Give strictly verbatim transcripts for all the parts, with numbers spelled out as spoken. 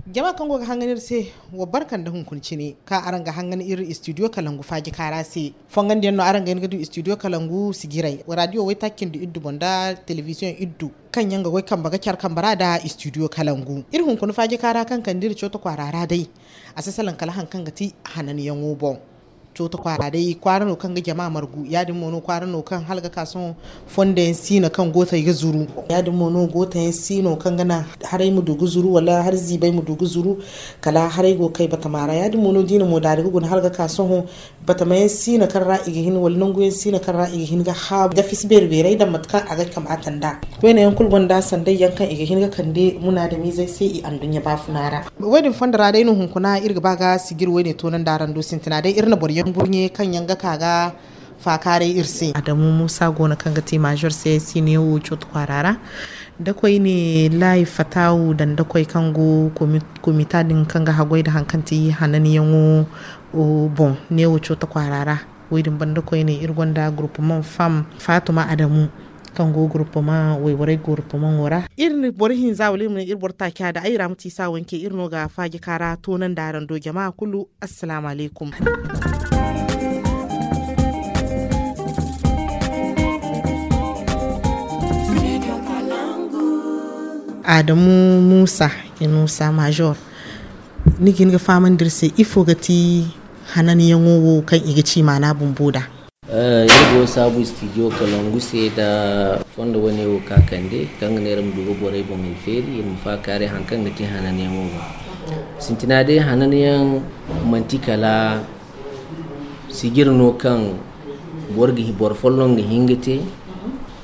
Jama kaŋ go ga hangan iri se, wa barka nda hunkuna cine ka araŋ ga hangan iri studio kalangu faaji kaara se. Fongandiyaŋ no araŋ ga hin ga du studio kalangu sijiray radio waytaaci cindi iddu boŋ nda television iddu, kaŋ yaŋ ga goy kambe ga care kambe ra nda studio kalangu. Iri hunkuna faaji kaara kaŋ kande iri cooto kwaara ra day, a si salaŋ kala hari kaŋ ga ti hananyaŋo boŋ. Cooto kwaara day kwaara no kaŋ ga jama margu, ya- din mo no kwaara no kaŋ hala ga ka sohõ fondo yaŋ si no kaŋ gooto yaŋ ga zuru. Ya- din mo no gooto yaŋ si no kaŋ ga naŋ haray ma du ga zuru wala hari ziibay ma du ga zuru. Kala haray go ga kay batama ra, ya- din mo no da i na mo daari ga guna hala ga ka sohõ batama yaŋ si no kaŋ ra i ga hin wala nangu yaŋ si no kaŋ ra i ga hin ga haabu da fisi beeri beeray daŋ mate kaŋ a ga kamaata nd'a. Koyne yaŋ kulu gonda sanday yaŋ kaŋ i ga hin ga kande munaadamizey se i anduɲɲa baafuna ra. Wo- din fondo ra day no hunkuna iri ga ba ga sijiri wo- ne toonandi araŋ do sintina day iri na boro yaŋ burɲe kaŋ yaŋ ga ka ga faakaaray iri se. Adamu muusa go no kaŋ ga ti maazor se si ne wo cooto kwaara ra. Da koyne laayi fataawu daŋ da koy kaŋ go komita din kaŋ ga haggoy nda hari kaŋ ti hananyaŋo boŋ ne wo cooto kwaara ra. Wo- din banda koyne iri gonda gurupumaŋ fam faatuma adamu kaŋ go gurupumaŋ wayborey gurupumaŋo ra. Iri na boro hinza wala iri ma ne iri boro taaca da ay ra ma ti saawanke iri no ga faaji kaara toonandi araŋ do jama kulu. Assalaamu alaykum. Adamu muusa, inusa maazor, ni ga hin ga fahamandi iri se ifo ga ti hananyaŋo wo kaŋ i ga ci maana bumbo nd'a? Iri go saabu studio kalangu se nda fondo wane wo ka kande kaŋ ga ne iri ma du ga borey boŋey feeri iri ma faakaaray hari kaŋ ga ti hananyaŋo boŋ. Sintina day hananyaŋ manti kala sijiri no kaŋ boro folloŋ ga hin ga te,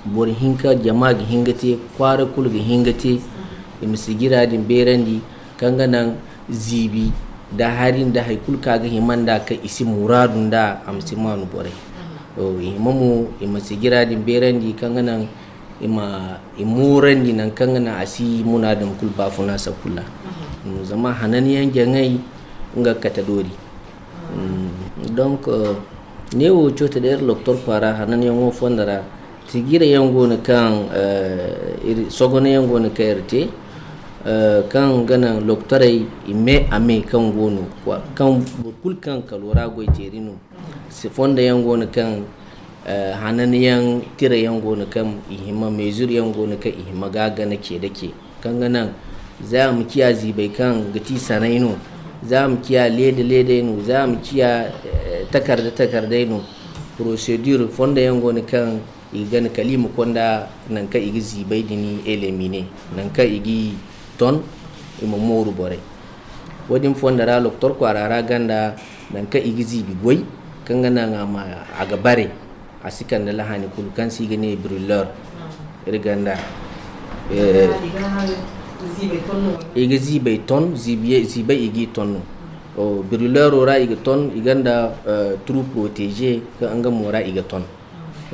boro hinka jama ga hin ga te, kwaara kulu ga hin ga te. I ma sijira din beerandi kaŋ ga naŋ ziibi nda hari nda hari kulu kaŋ a ga hima nd'a kaŋ i si muraadu nd'a a ma si maanu borey. I hima mo i ma sijira din beerandi kaŋ ga naŋ i ma i moorandi nangu kaŋ ga naŋ a si munaadum kulu baafuna sakulla. Zama hananyaŋ jaŋay nga ga kate doori. Donc neewo coote da iri loktor kwaara hananyaŋo fondo ra. Tijirayaŋ go no kaŋ sogonayaŋ go no kaŋ iri te kaŋ ga naŋ loktorey i me a me kaŋ go no kaŋ boro kulu kaŋ kalo ra goy teeri no. Fondoyaŋ go no kaŋ hananyaŋ tirayaŋ go no kaŋ i hima meezuryaŋ go no kaŋ i hima ga gana ce da ce kaŋ ga naŋ za a ma ciya ziibay kaŋ ga ti sanay no, za a ma ciya leeda leeday no, za a ma ciya takarda takarday no. Porosedir fondoyaŋ go no kaŋ i ga gana kala i ma konda nangu kaŋ i ga ziibay din elemine nangu kaŋ i ga ton i ma mooru borey. Wo- din fondo ra loktor kwaara ra ganda nangu kaŋ i ga ziibi goy kaŋ ga naŋ a ga bare a si kande lahani kulu kaŋ se i ga ne brilleur. Iri ganda i ga ziibay ton ziibay i ga i ton no. Brilleuro ra i ga ton i ganda trou protégé kaŋ nga mo ra i ga ton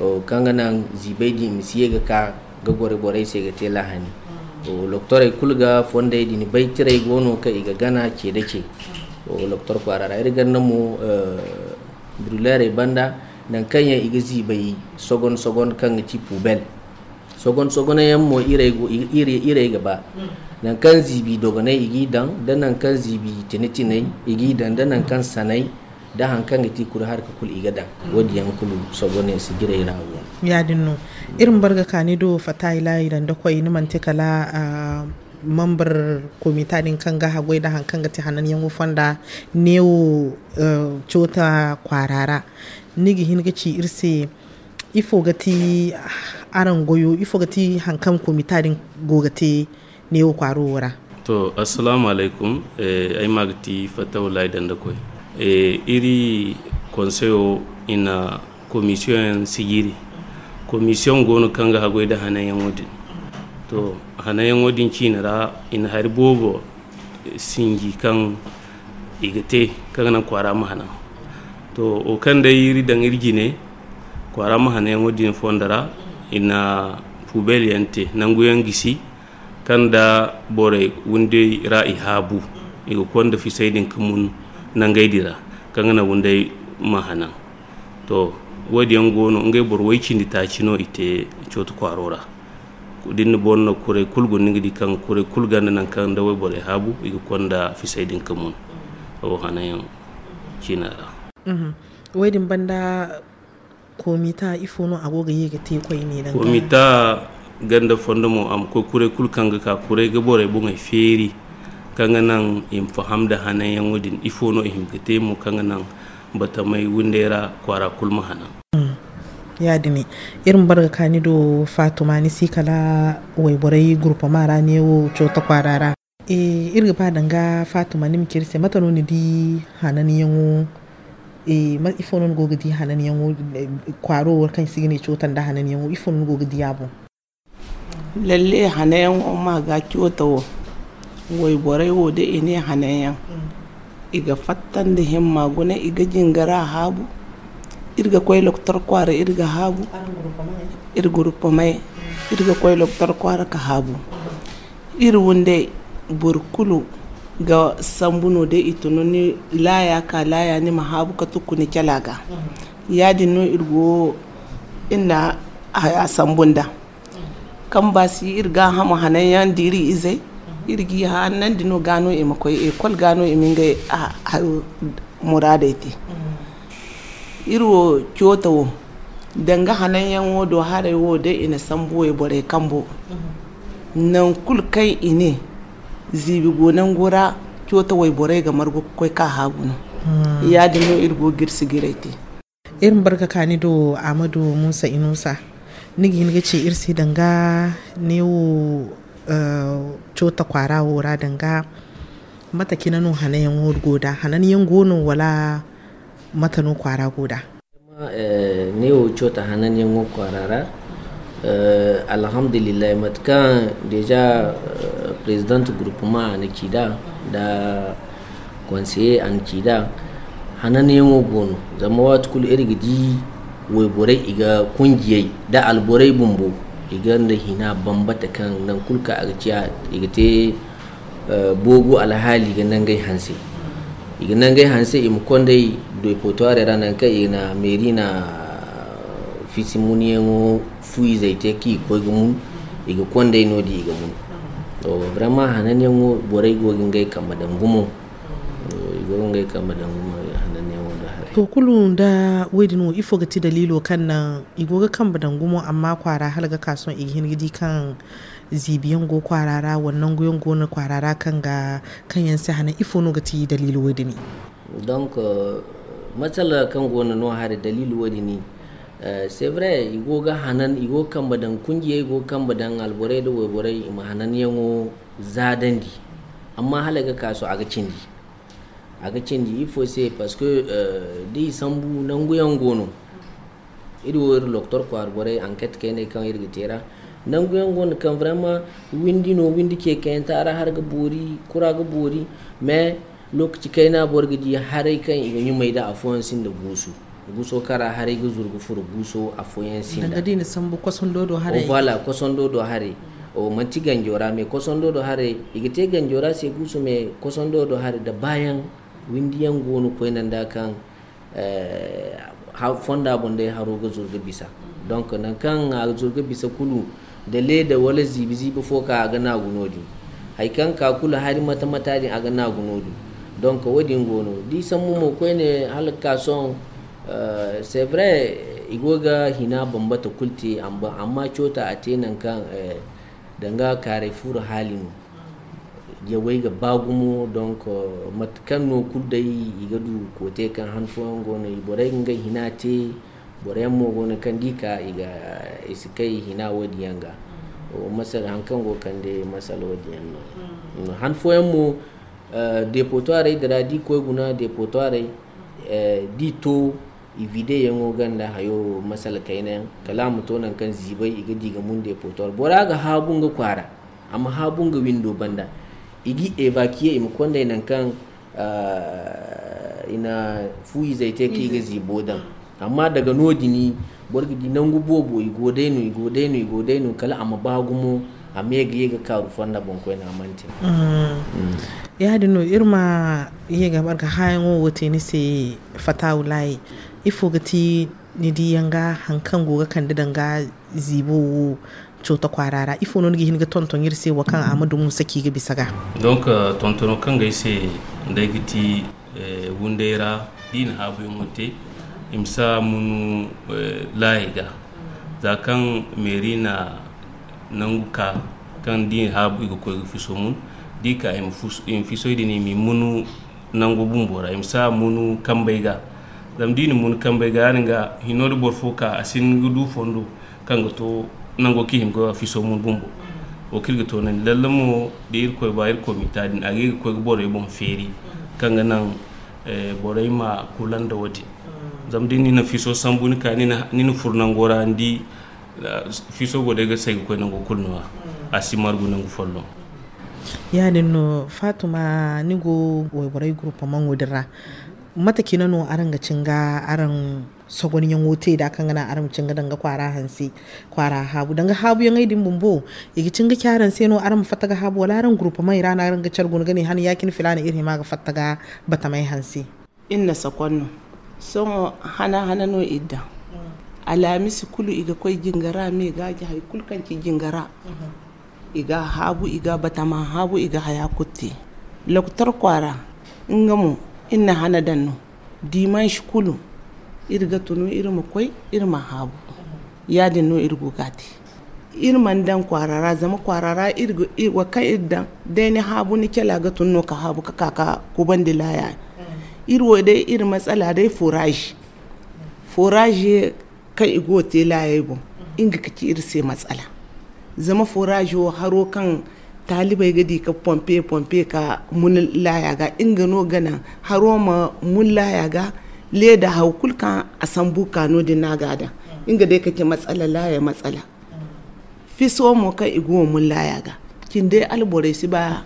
kaŋ ga naŋ ziibay din i ma si ye ga ka ga gore borey se ga te lahani. Loktorey kulu ga fondey din bay tiray go no kaŋ i ga gana ce da ce. Loktor kwaara ra iri ganda mo brilleurey banda nangu kaŋ yaŋ i ga ziibay sogon sogon kaŋ ga ti poubelle. Sogon sogoney yaŋ mo iray ga ba nangu kaŋ ziibi dogonay i g'i daŋ da nangu kaŋ ziibi tine tinay i g'i daŋ da nangu kaŋ sanay da hari kaŋ ga ti kuri harka kulu i ga daŋ. Wo- din yaŋ kulu sogoney sijirey ra go no. Ya- din no iri ma bar ga kaani do fatta i laayi daŋ da koy ni manti kala membre komita din kaŋ ga haggoy da hari kaŋ ga ti hananyaŋo fonda neewo coota kwaara ra. Ni ga hin ga ci iri se ifo ga ti araŋ goyo ifo ga ti hari kaŋ komita din go ga te neewo kwaaro wo ra? To assalaamu alaykum. Ay ma ga ti fatta wallaahi daŋ da koy iri konseyo i na komisiyoŋ yaŋ sijiri. Komisiyoŋ go no kaŋ ga haggoy nda hananyaŋo din. To hananyaŋo din ciine ra i na hari boobo sinji kaŋ i ga te kaŋ ga naŋ kwaara ma hanan. To wo kaŋ day iri daŋ iri jine kwaara ma hananyaŋo din fondo ra i na poubelle yaŋ te nangu yaŋ gisi kaŋ nda borey windey ra i haabu i ga konda fisey din ga mun nangey din ra kaŋ ga naŋ windey ma hanan. To wo- din yaŋ go no ngey boro way cindi taaci no i te cooto kwaaro ra. Da ni na boro no kuray kulu guna, ni ga di kaŋ kuray kulu gonda nangu kaŋ da wayborey haabu, i ga konda fisay din ga mun wo hanayaŋ ciina ra. Woy din banda, komita ifo no a go ga ye ga te koyne danga? Komita ganda fondo mo, a ma koy kuray kulu kaŋ ga ka, kuray ga borey boŋey feeri, kaŋ ga naŋ i ma faham da hananyaŋo din, ifo no i hima ga te mo, kaŋ ga naŋ batamay windey ra kwaara kulu ma hanan. Ya-din, iri ma bare ga ka ni do, Fatuma, ni si kala wayborey gurupama ra neewo Coota kwaara ra. Iri ga ba danga Fatuma, ni ma ci iri se, mate no ni di hananyaŋo? Ifo no ni go ga di hananyaŋo, kwaaro wo kaŋ se i ga ne Coota nda hananyaŋo, ifo no ni go ga di a boŋ? Lalle, hananyaŋo ma ga Coota wo, wayborey wo, da i ne hananyaŋ, i ga fatta nda himma guna, i ga jingara haabu. Iri ga koy Loktor kwaara, iri ga haabu. Iri gurupamay, iri ga koy Loktor kwaara ga haabu. Iri windey, boro kulu ga sambu no, da i tun ni laaya ka laaya, ni ma haabu ga tukku ni cala ga. Ya-din no iri go, iri na haya sambu nda. Kaŋ ba si iri gaahamo hananyaŋ da iri izey, iri g'i hanandi no, ga no i ma koy ekol, ga no i ma ngey muraadey te. Iri wo Coota wo, danga hananyaŋo do haray wo, day i na sambu wayborey kambo. Nangu kulu kaŋ i ne ziibi go nango ra, Coota wayborey ga margu ga koy ka haagu no. Ya-din no iri go ga iri sijiray te. Iri ma bare ga ka ni do, Amadu Musa Inusa. Ni ga hin ga ci iri se danga neewo, eh, Coota kwaara wo ra danga mate cine no hananyaŋo go da? Hananyaŋ go no, wala mate no kwaara go da? Eh, neewo Coota hananyaŋo kwaara ra, eh, alhamdulillahi, mate kaŋ déjà, eh, président groupement a na ci nd'a, nda conseiller a na ci nd'a, hananyaŋo go no. Zama waati kulu iri ga di wayborey, i ga kunjiyey nda alborey bumbo, i gonda hina bambata kaŋ nangu kulu kaŋ a ga ciya, i ga te, eh, boogu alhaali ga nangey hanse. I ga nangey hanse, i ma kond'ey dépotoirey ra, nangu kaŋ i na meeri na fisi munyaŋo fu izey te, kaŋ i ga koy ga mun, i ga kond'ey no-din, i ga mun. To, vraiment, hananyaŋo, borey go ga ngey kambe daŋ gumo. I go ga ngey kambe daŋ gumo hananyaŋo do haray. To, kulu nda woy-din wo, ifo ga ti daliilo kaŋ naŋ i go ga kambe daŋ gumo, amma kwaara hala ga ka sohõ i ga hin ga di kaŋ ziibiyaŋ go kwaara ra, wala nanguyaŋ go no kwaara ra kaŋ ga, kaŋ yaŋ si hanan? Ifo no ga ti daliilo woy-din? Donc, euh, masala kaŋ go no no haray, daliilo woy-din, euh, c'est vrai, i go ga hanan, i go ga kambe daŋ kunjiyey, i go ga kambe daŋ alborey nda wayborey, i ma hananyaŋo zaadandi. Amma hala ga ka sohõ a ga cindi. A ga cindi ifo se, parce que, euh, da i sambu nanguyaŋ go no. Iri wo, iri Loktor kwaara borey, enquête kayney kaŋ iri ga te ra. Nanguyaŋ go no kaŋ vraiment windi no, windi ce kayanta ra har ga boori, kura ga boori, mais lokaci kayna boro ga di haray kaŋ i ga ɲumay nda afooyaŋ sinda guusu. Guuso kaŋ ra haray ga zuru ga furo, guuso afooyaŋ sinda. Danga da i na sambu kosondo do haray. Oh, voilà, kosondo do haray. O manti ganjo ra, mais kosondo do haray, i ga te ganjo ra se guusu, mais kosondo do haray da baayaŋ, windiyaŋ go no koyne nda kaŋ, eh, ha-, fonda boŋ day haro ga zuru ga bisa. Donc, nangu kaŋ a ga zuru ga bisa kulu, da leeda wala ziibi-ziibi fo ka, a ga naagu no-din. Hari kaŋ ka kulu hari mata-mata din, a ga naagu no-din. Donc, wo-din go no. Da i sambu mo koyne hala ga ka sohõ, euh, c'est vrai, i go ga hina bambata kulu te, amba-, amma Coota a te nangu kaŋ, eh, danga kaaray fuuro haali no. Jawey ga ba gumo, donc, euh, mate kaŋ no kulu day i ga du koote kaŋ han fooyaŋ go no, i borey ga ngey hina te, boro yaŋ mo go no kaŋ da i ka, i ga, i si kay hina wo-din yaŋ ga. O masala, haŋ kaŋ go ga kande masala wo-din yaŋ no. Mm. Han fooyaŋ mo, eh, dépotoirey din ra, da i koy guna dépotoirey, eh, da i to, i videyaŋo ganda hayo masala kayna yaŋ, kala a ma to nangu kaŋ ziibay i ga di ga mun dépotoir. Bora ga haabu nga kwaara, a ma haabu nga windo banda. I ga évacuer, i ma konday nangu kaŋ, ah, i na fu izey te kaŋ i ga ziibo daŋ. Amma daga no-din, boro ga di nangu boobo, i go day no, i go day no, i go day no, kala a ma ba gumo, a ma ye ga ye ga kaaru fonda boŋ koyne, a mana te. Mm. Mm. Ya-din no, iri ma ye ga marga haayaŋo wo te ni se, Fatawulaay. Ifo ga ti ni diyaŋ ga haŋ kaŋ go ga kande danga ziibo wo, Cooto kwaara ra ifo no ni ga hin ga tonton iri se wo kaŋ a ma dumo saki ga bisa ga? Donc, tontono kaŋ ga ay se, day ga ti wunday ra da i na haabuyaŋo te, i ma si a munu laayey ga. Za kaŋ meeri na nangu ka kaŋ da i haabu i ga koy ga fiso mun, da i ka i ma fisoy din i ma i munu nango bumbo ra, i ma si a munu kambey ga. Zama da i na munu kambey ga ya- din ga hino da boro fo ka a si hin ga du fondo kaŋ ga to nango kaŋ i hin ga fiso mun bumbo. Wo kaŋ iri ga toonandi lalle mo da irkoy ba irkoy ma i ta din a ga i ga koy ga borey boŋ feeri kaŋ ga naŋ borey ma kula nda wo- din. Zama da ni na fiso sambu ni ka ni na furo nango ra ni di fiso go day ga say ga koy nango kulu no- ya a si margu nangu folloŋ. Ya- din no faatuma ni go wayborey gurupamaŋo din ra. Mate cine no araŋ ga cin ga araŋ sogonyaŋo te nd'a kaŋ ga naŋ araŋ ma cin ga danga kwaara hanse kwaara haabu danga haabuyaŋey din bumbo? I ga cin ga ci araŋ se no araŋ ma fatta ga haabu wala araŋ gurupamaŋ i ra no araŋ ga care guna ga ne han ya- cine filaana iri hima ga fatta ga batamey hanse? Iri na sakon no sohõ hana hana no iri daŋ. Alhamisi kulu i ga koy jingara me gaaji hari kulu kaŋ ci jingara. I ga a haabu i ga a batama haabu i ga haya kulu te. Lokotor kwaara nga mo iri na hana daŋ no. Dimansi kulu iri ga tunu iri ma koy iri ma haabu. Ya- din no iri go ga a te. Iri mana daŋ kwaara ra zama kwaara ra wo kaŋ iri daŋ day ni haabu ni cala ga tun no ka haabu ka ka ka kubandi laaya. Iri wo day iri matsala day foraazi foraazi kaŋ i go ga te laayey boŋ. Nga ga ci iri se matsala zama foraazi wo haro kaŋ taalibey ga di ka pompe pompe ka mun laaya ga nga no ga naŋ haro ma mun laaya ga. Leeda haw kulu kaŋ a sambu ka no- din no a ga a daŋ. Nga day ka ci matsala laaya matsala. Fiso mo kaŋ i go ga mun laaya ga cindey alborey si ba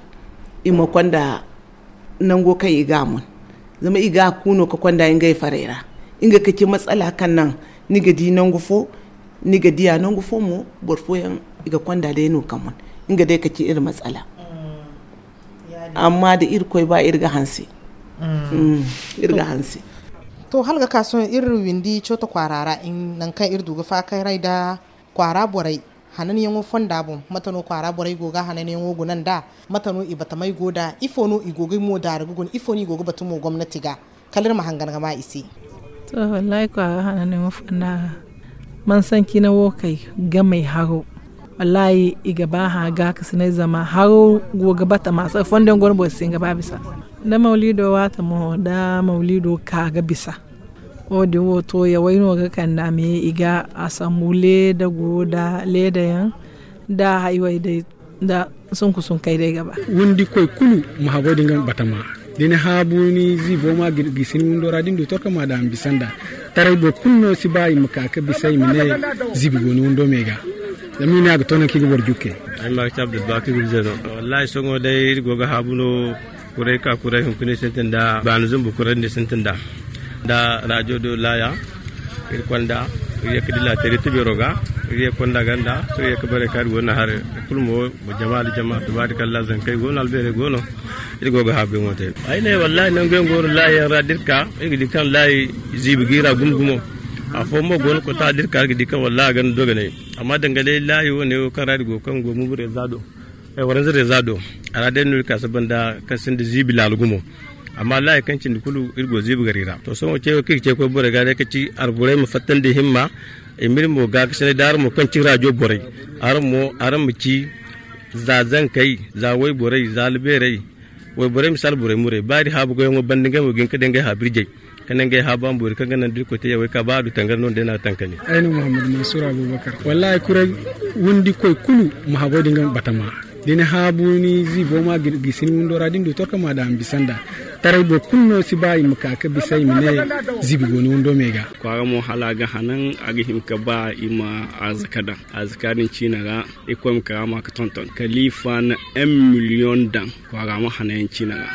i ma konda nango kaŋ i ga a mun. Zama i ga a ku no ga konda ngey farey ra. Nga ga ci matsala kaŋ naŋ ni ga di nangu fo ni ga diya nangu fo mo boro fooyaŋ i ga konda day no ga mun. Nga day ga ci iri matsala. Amma da irkoy ba iri ga hanse. Iri ga hanse. To hala ga ka sohõ iri windi cooto kwaara ra nangu kaŋ iri du ga faakaray nda kwaara borey hananyaŋo fonda boŋ mate no kwaara borey go ga hananyaŋo guna nd'a? Mate no i batamey go nd'a ifo no i go ga mo daara ga guna ifo no i go ga batu mo gomnati ga? Kala iri ma hangan ga ma i se. To wallaahi kwaara hananyaŋo fonda ra mansancine wo kay gamey haro wallaahi i ga ba hã gaakasinay zama haro go ga batama sara fondo yaŋ go no boro si hin ga ba bisa. Da mawliido waati mo da mawliido ka ga bisa. Wo- din wo to yawey no ga kande a me i ga a sambu leeda go nda leeda yaŋ nda haywey day nda sunku sunkey day ga ba. Windi koy kulu ma habo din ga batama da ni haabu ni ziibo ma gisi ni windo ra da ni du torka ma daŋ a ma bisa nda taray boro kulu no si ba i ma ka ga bisa i ma ne ziibi go ni windo me ga. Zama i ne a ga to nangu kaŋ i ga boro jukke. Ay ma ga ci abdulbaki gurze no. Wallaahi sohõ day iri go ga haabu no. Kuray ka kuray hunkuna sintin da baani zumbu kuray din sintin da. Da rajo do laaya iri konda iri ye ga di laatari tubero ga iri ye ga konda ganda iri ye ga bare kaari go no hari kulu mo jama da jama tubaari kalla zankey go no albeerey go no. Iri go ga haabu yaŋo te ay ne wallaahi nangu yaŋ go no laayi yaŋ ra da iri ka iri ga di kaŋ laayi ziibi ga iri ra gumo gumo. Afooyaŋ mo go no kota da iri ka iri ga di kaŋ wallaahi a ganda dogonay. Amma danga day laayi wo- ne wo kaŋ ra iri go kaŋ go mubu reeza do waranza reeza do a ra day no iri ka saba nda kaŋ sinda ziibi laala gumo. Amma laayi kaŋ cindi kulu iri go ziibi gari ra to sohõ ce wo kaŋ iri ga ce koy borey ga day ka ci alborey ma fattandi himma. I ma iri mo gaakasinay da araŋ mo kaŋ ci raajo borey araŋ mo araŋ ma ci za zankey za wayborey za albeerey. Wayborey ma si alborey muray ba iri haabu goyaŋo banda ngey mo ga hin ka day ngey haabu iri jay ka ne ngey haabu a ma boori kaŋ ga naŋ da iri koy te yawey ka ba a du tangari no ni day no a ga tankani. Ay no muhammad mansur abubakar wallaahi kuray windi koy kulu ma habo din ga batama da ni haabu ni ziibo ma gisi ni windo ra da ni du torka ma daŋ a ma bisa nda taray boro kulu no si ba i ma ka ga bisa i ma ne ziibi go ni windo me ga. Kwaara mo hala a ga hanan a ga hin ka ba i ma arzaka daŋ arzaka din ciina ra. Iri koy ma kara ma ga tonton kaliifa na en miliyoŋ daŋ kwaara ma hanan yaŋ ciina ra.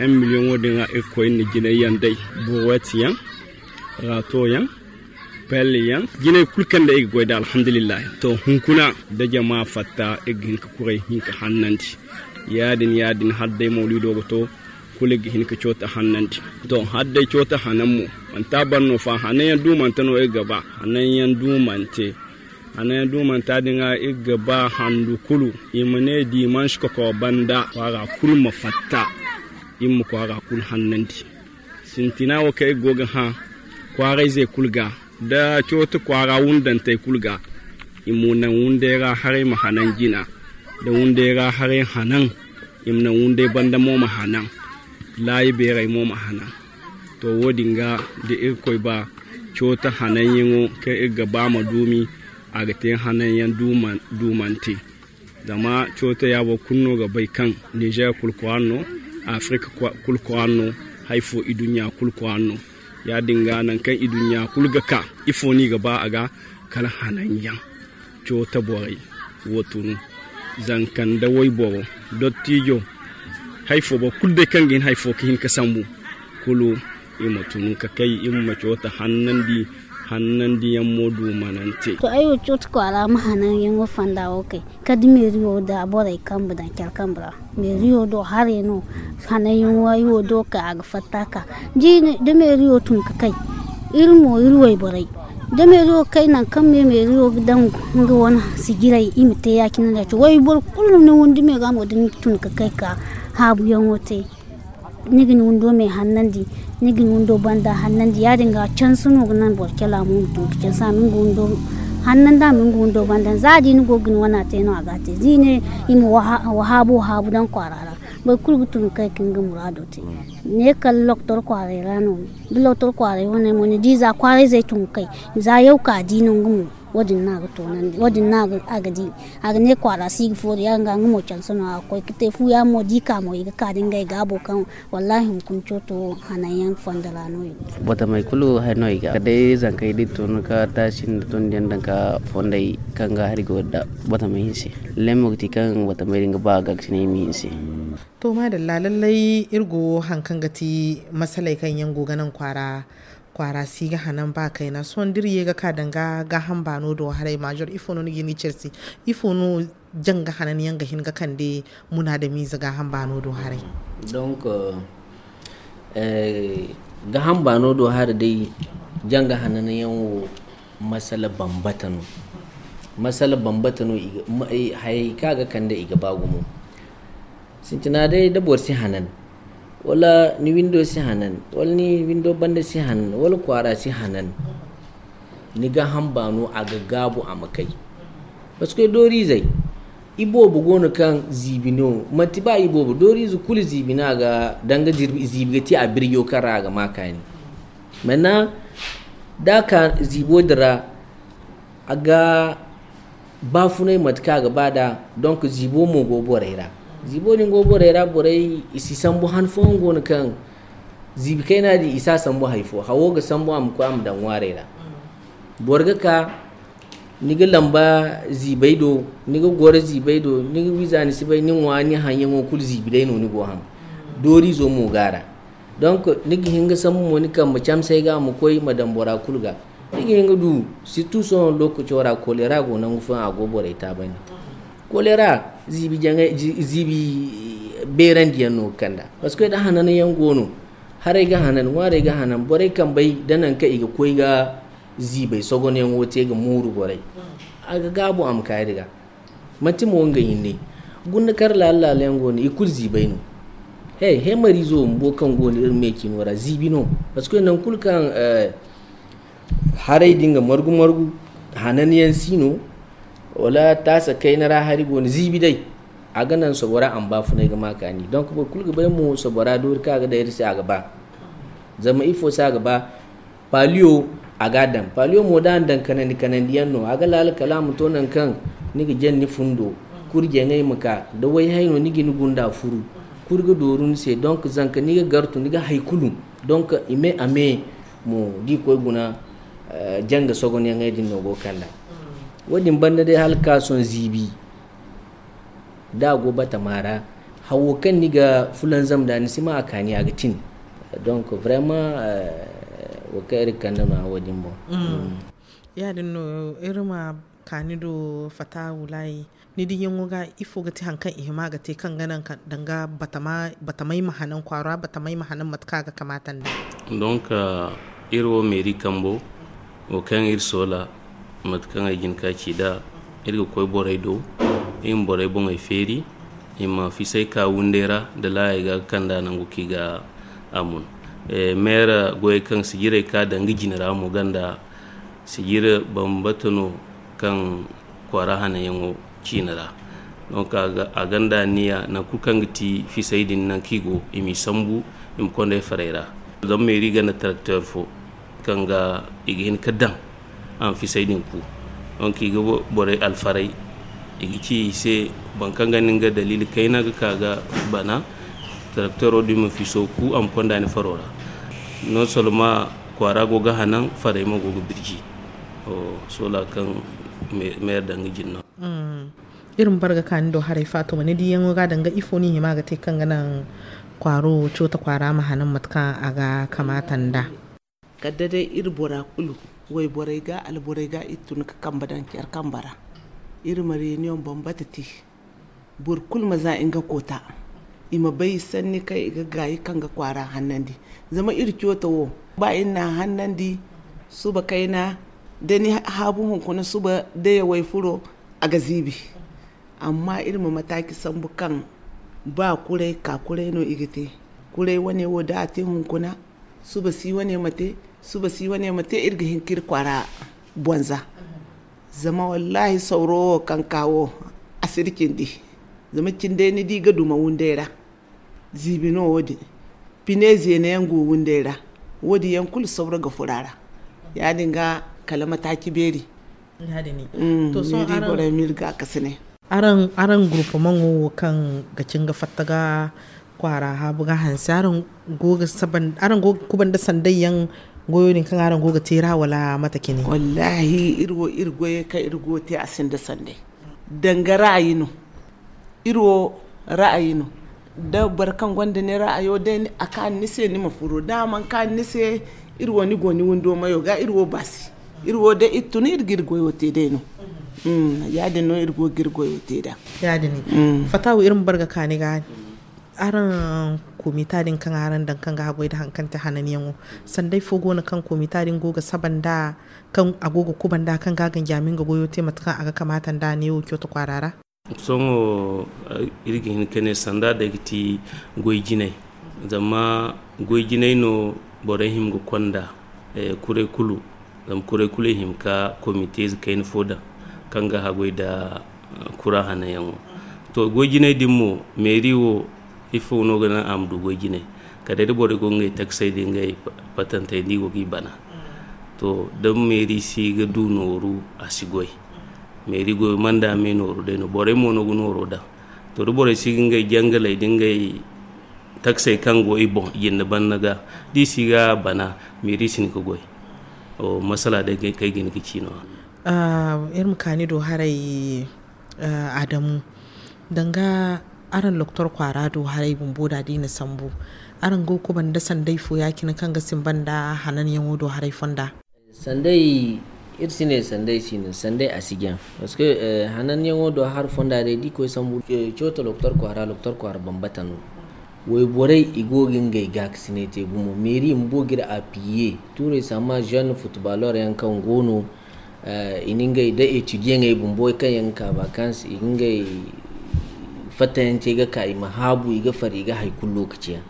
En miliyoŋo din ra iri koy na jinay yaŋ day buruwet yaŋ raato yaŋ pel yaŋ jinay kulu kaŋ day iri ga goy da alhamdulillahi. To hunkuna da jama fatta iri ga hin ka kuray hin ka hannandi. Ya- din ya- din hala day mawliido ga to kulu iri ga hin ka cooto hannandi. To hala day cooto hanan mo manti a ban no fa hanan yaŋ duumante no iri ga ba hanan yaŋ duumante. Hananyaŋ duumanta din ra iri ga ba handu kulu i ma ne dimanche koko banda kwaara kulu ma fatta. Iri ma kwaara kulu hannandi. Sintina wo kaŋ iri go ga hã kwaarayzey kulu ga, da cooto kwaara wundantey kulu ga. I ma naŋ wunday ra haray ma hanan jina, da wunday ra haray hanan. I ma naŋ wunday banda mo ma hanan, laayi beerey mo ma hanan. To, wo-din ga da irkoy ba, cooto hananyaŋo kaŋ iri ga ba ma duumi, a ga te hananyaŋ duumante. Zama cooto ya boro kulu no ga bay kaŋ nizer kulu kwaara no, afirika kulu kwaara no, hari fo iduɲɲa kulu kwaara no. Ya-din ga nangu kaŋ iduɲɲa kulu ga ka, ifo no i ga ba a ga? Kala hananyaŋ. Cooto borey wo tunu, zanka nda wayboro, dottijo, hari fo boro kulu day kaŋ ga hin hari fo ga hin ga sambu, kulu i ma tunu ga kay i ma cooto hannandi. Hannandiyaŋ mo duumanante. To, ay wo cooto kwaara ma hananyaŋo fonda wo kay, kala da meeriyo da borey kambe daŋ care kambe ra. Meeriyo do haray no hananyaŋo ay wo do kay a ga fatta ka. Da meeriyo tun ga kay, iri mo iri wayborey, da meeriyo kay nangu kaŋ meeriyo ga daŋ nga wane sijiray i ma te ya-cine nda ya-cine wayboro kulu ni windi me ga mo da ni tun ga kay ka haabuyaŋo te. Ni ga ni windo me hannandi, ni ga ni windo banda hannandi. Ya-din ga canse no ga naŋ boro cala mo ma tun ga canse a ma nga windo hannandi a ma nga windo banda. Za a di ni go ga ni wana te no a ga a te za i ne i ma wahaabo wahaabo daŋ kwaara ra. Boro kulu ga tun ga kay ga nga muraado te. Ne kala lokotor kwaaray ra no. Da lokotor kwaaray wane mo ni di za kwaarayzey tun ga kay, za yaw ka di no nga mo. Wo-din no a ga toonandi, wo-din no a ga di. A ga ne kwaara si ga foori ya- din ga nga mo canse no a ga koy ga te fu ya- din mo da i ka mo i ga ka da ngey gaabo kaŋ wallaahi hunkuna cooto hananyaŋ fondo ra no i go. Batamey kulu hari no i ga kala day zankey da i tun ga taasi nda tondiyaŋ daŋ ga fondey kaŋ ga hari go da batamey hinse. Lallay mo ga ti kaŋ batamey din ga ba a ga ga ti ne i ma hinse. To maadalla lallay iri go hari kaŋ ga ti masaley kaŋ yaŋ go ga naŋ kwaara kwaara si ga hanan ba kayna sohõ da iri ye ga ka danga gaaham baano do haray maazor ifo no ni ga hin ga care se? Ifo no janga hanan yaŋ ga hin ga kande munaadamiize gaaham baano do haray? Donc gaaham baano do haray day janga hanan yaŋ wo masala bambata no. Masala bambata no. Hayey kaŋ a ga kande i ga ba gumo. Sintina day da boro si hanan, wala ni windo si hanan, wala ni windo banda si hanan, wala kwaara si hanan, ni gaaham baano a ga gaabu a ma kay. Parce que dooriizey iboobo go no kaŋ ziibi no. Manti ba iboobo dooriize kulu ziibi no a ga danga ziibi ga ti a birjo kaŋ ra a ga ma kaani. Manna da a ka ziibo din ra a ga baafunay mate kaŋ a ga ba nd'a. Donc ziibo mo go borey ra. Ziibo din go borey ra borey i si sambu han fooyaŋ go no kaŋ ziibi kayna din i si a sambu hari fo hawo ga sambu a ma koy a ma daŋ ŋwaarey ra. Boro ga ka ni ga lamba ziibey do, ni ga goro ziibey do, ni ga wiiza ni si bay ni ŋwa ni haŋyaŋo kulu ziibi day no ni go haŋ. Dooriizo mo go a ra. Donc ni ga hin ga sambu mo ni kambe camsey ga ma koy ma daŋ bora kulu ga. Ni ga hin ga du sirtu sohõ lookaco ra kolera go nangu fooyaŋ a go borey taabandi. Kolera ziibi jaŋay ziibi beerandiyaŋ no ga kand'a. Parce que da hananyaŋ go no, haray ga hanan ŋwaarey ga hanan borey kambey da nangu kaŋ i ga koy ga ziibey sogonyaŋo te ga mooru borey. A ga gaabu a ma kaayi ga manti mo nga hinne. Gunda kar laala laala yaŋ go no i kulu ziibay no. He heemariizo bumbo kaŋ go no iri me ciino ra ziibi no. Parce que nangu kulu kaŋ haray din ga margu margu hanan yaŋ si no. Wala taasa kayna ra hari go no ziibi day a ga naŋ sobora a ma baafunay ga ma kaani donc boro kulu ga bay mo sobora doori kaŋ a ga daŋ iri se a ga ba. Zama ifo se a ga ba? Paliyo a ga a daŋ paliyo mo da a na daŋ kanandi kanandi yaŋ no a ga laala kala a ma to nangu kaŋ ni ga jaŋ ni fundo. Kurjeŋey ma ka da wayhay no ni ga ni gunda furu. Kuri ga dooru ni se donc zanka ni ga gartu ni ga hari kulu. Donc i me a me mo da i koy guna janga sogonyaŋey din no go ga kand'a. Wo- din banda day hala ga ka sohõ ziibi da a go batama ra hawo kaŋ ni ga fulanzam nd'a ni si ma a kaani a ga tin. Donc vraiment wo kaŋ iri ga kande no a wo- din boŋ. Ya- din no iri ma kaani do fata wulaayi. Ni diyaŋo ga ifo ga ti hari kaŋ i hima ga te kaŋ ga naŋ danga batamay ma hanan kwaara batamay ma hanan mate kaŋ a ga kamaata nd'a? Donc iri wo meeri kambo wo kaŋ iri soola Mate kaŋ ay jin ka ci nd'a, iri ga koy borey do, iri ma borey boŋey feeri, i ma fisay ka windey ra nda laayey ga ga kand'a nangu kaŋ i ga a mun. Meera goyey kaŋ sijirey ka daŋ ga jine ra mo ganda sijiri bambata no kaŋ kwaara hananyaŋo ciine ra. Donc a ganda anniya nangu kulu kaŋ ga ti fisay din nangu kaŋ i go, i m'i sambu, i ma konda ay farey ra. Zama meeri ganda tarakteer fo kaŋ ga i ga hin ga daŋ a ma fisay din ku. Donc i ga borey alfaray, i ga ci i se boro kaŋ ga ni nga daliili kayna ga ka ga bana, tarakteero din ma fiso ku a ma konda ni faro ra. Non soloma kwaara go ga hanan, farey mo go ga birji. Soola kaŋ meera daŋ ga jine no. Iri ma bare ga ka ni do haray, Faatuma, ni diyaŋo ga danga ifo ni hima ga te kaŋ ga naŋ kwaaro, Coota kwaara ma hanan mate kaŋ a ga kamaata nd'a? Kala day iri bora kulu, wayborey ga, alborey ga, iri tun ga kambe daŋ care kambe ra. Iri ma reunion bambata te. Boro kulu ma za nga koota. I ma bay sanni kaŋ i ga gaayi kaŋ ga kwaara hannandi. Zama iri Coota wo, ba iri n'a hannandi suba kayna, da ni haabu hunkuna suba da yawey furo, a ga ziibi. Amma iri ma mataaci sambu kaŋ ba kuray ka kuray no i ga te. Kuray wane wo da a te hunkuna, suba si wane ma te, suba si wane ma te, iri ga hin ka iri kwaara bonza. Zama wallaahi sawro wo kaŋ ka wo, a si iri cindi. Zama cindey ni di ga duma windey ra. Ziibi no wo-din. Pine zeena yaŋ go windey ra. Wo-din yaŋ kulu sawra ga furo a ra. Ya-din ga kala mataaci beeri. To sohõ araŋ, araŋ gurupumaŋo wo kaŋ ga cin ga fatta ga kwaara haabu ga hanse, araŋ go ga kubanda sanday yaŋ goyo din kaŋ araŋ go ga te ra, wala mate cine? Wallaahi iri wo iri goyey kaŋ iri go ga te a sinda sanday. Danga ra'ayi no. Iri wo ra'ayi no. Da boro kaŋ gonda ni ra'ayo day, a kaanu ni se, ni ma furo. Da a mana kaanu ni se, iri wo ni go ni windo mayo ga, iri wo baasi. Iri wo day iri tun iri ga iri goyo te day no. Ya-din no iri go ga iri goyo te nd'a. Ya-din. Fatawu, iri ma bare ga ka ni ga. Araŋ komita din kaŋ araŋ daŋ kaŋ ga haggoy nda haŋ kaŋ ti hananyaŋo, sanday fo go no kaŋ komita din go ga saba nd'a, kaŋ a go ga kuba nd'a, kaŋ ga a ganji a ma nga goyo te mate kaŋ a ga kamaata nd'a neewo Coota kwaara ra? Sohõ iri ga hin ka ne sanda day ga ti goy jinay. Zama goy jinay no borey hima ga konda kuray kulu. Zama kuray kulu i hima ka komite ize kayna fo daŋ kaŋ ga haggoy nda kura hananyaŋo. To, goy jinay din mo, meeri wo, ifo no ga naŋ a ma du goy jinay? Kala day da borey go ga ngey taksey da ngey patantey da i go g'i bana. To, da meeri si ga du nooru, a si goy. Meeri goyo manda me nooru day no, borey mo no ga nooro daŋ. To, da borey si ga ngey jangaley da ngey taksey kaŋ go i boŋ jinde banna ga, da i si ga bana, meeri si hin ka goy. Masala day kaŋ ay ga hin ga ci no-ya. Iri ma ka ni do haray, Adamu, danga araŋ loktor kwaara do haray bumbo da da i na sambu, araŋ go ga kuba nda sanday fo ya-cine kaŋ ga simba nda hananyaŋo do haray fonda? Sanday, iri si ne sanday si no, sanday a si jaŋ. Parce que hananyaŋo do hari fonda day da i koy sambu, Coota loktor kwaara, loktor kwaara bambata no. Wayborey i go ga ngey gaakasinay te gumo. Meeri bumbo ga iri appuyer. Tuurey sama jeune footballeur yaŋ kaŋ go no, i na ngey da étudiantey bumbo kaŋ yaŋ ga ka vacances, i ga ngey fattayaŋ te ga ka, i ma haabu, i ga far, i ga hay kulu lokaci yaŋ.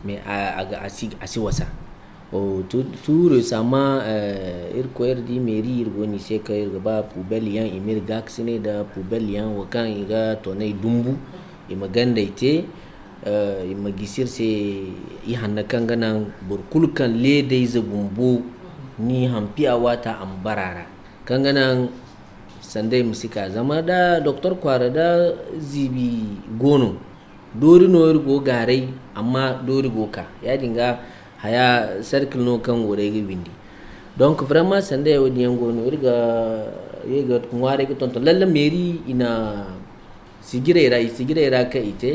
Mais a si wasa. Tuurey sama, iri koy iri di meeri, iri go no i se kaŋ iri ga ba poubelle yaŋ, i ma iri gaakasinay nda poubelle yaŋ wo kaŋ i ga tonay dumbu, i ma gandey te. I ma gisi iri se, i hanna kaŋ ga naŋ boro kulu kaŋ leedayze bumbo ni hampi a waata a ma bara a ra, kaŋ ga naŋ sanday ma si ka. Zama da doktor kwaara da ziibi go no, doori no iri go gaaray, amma doori go ka. Ya-din ga haya cercle no kaŋ go day ga windi. Donc vraiment sanday wo-din yaŋ go no, iri ga ye ga ŋwaaray ga tonton lalle meeri i na sijirey ra, i sijirey ra kaŋ i te,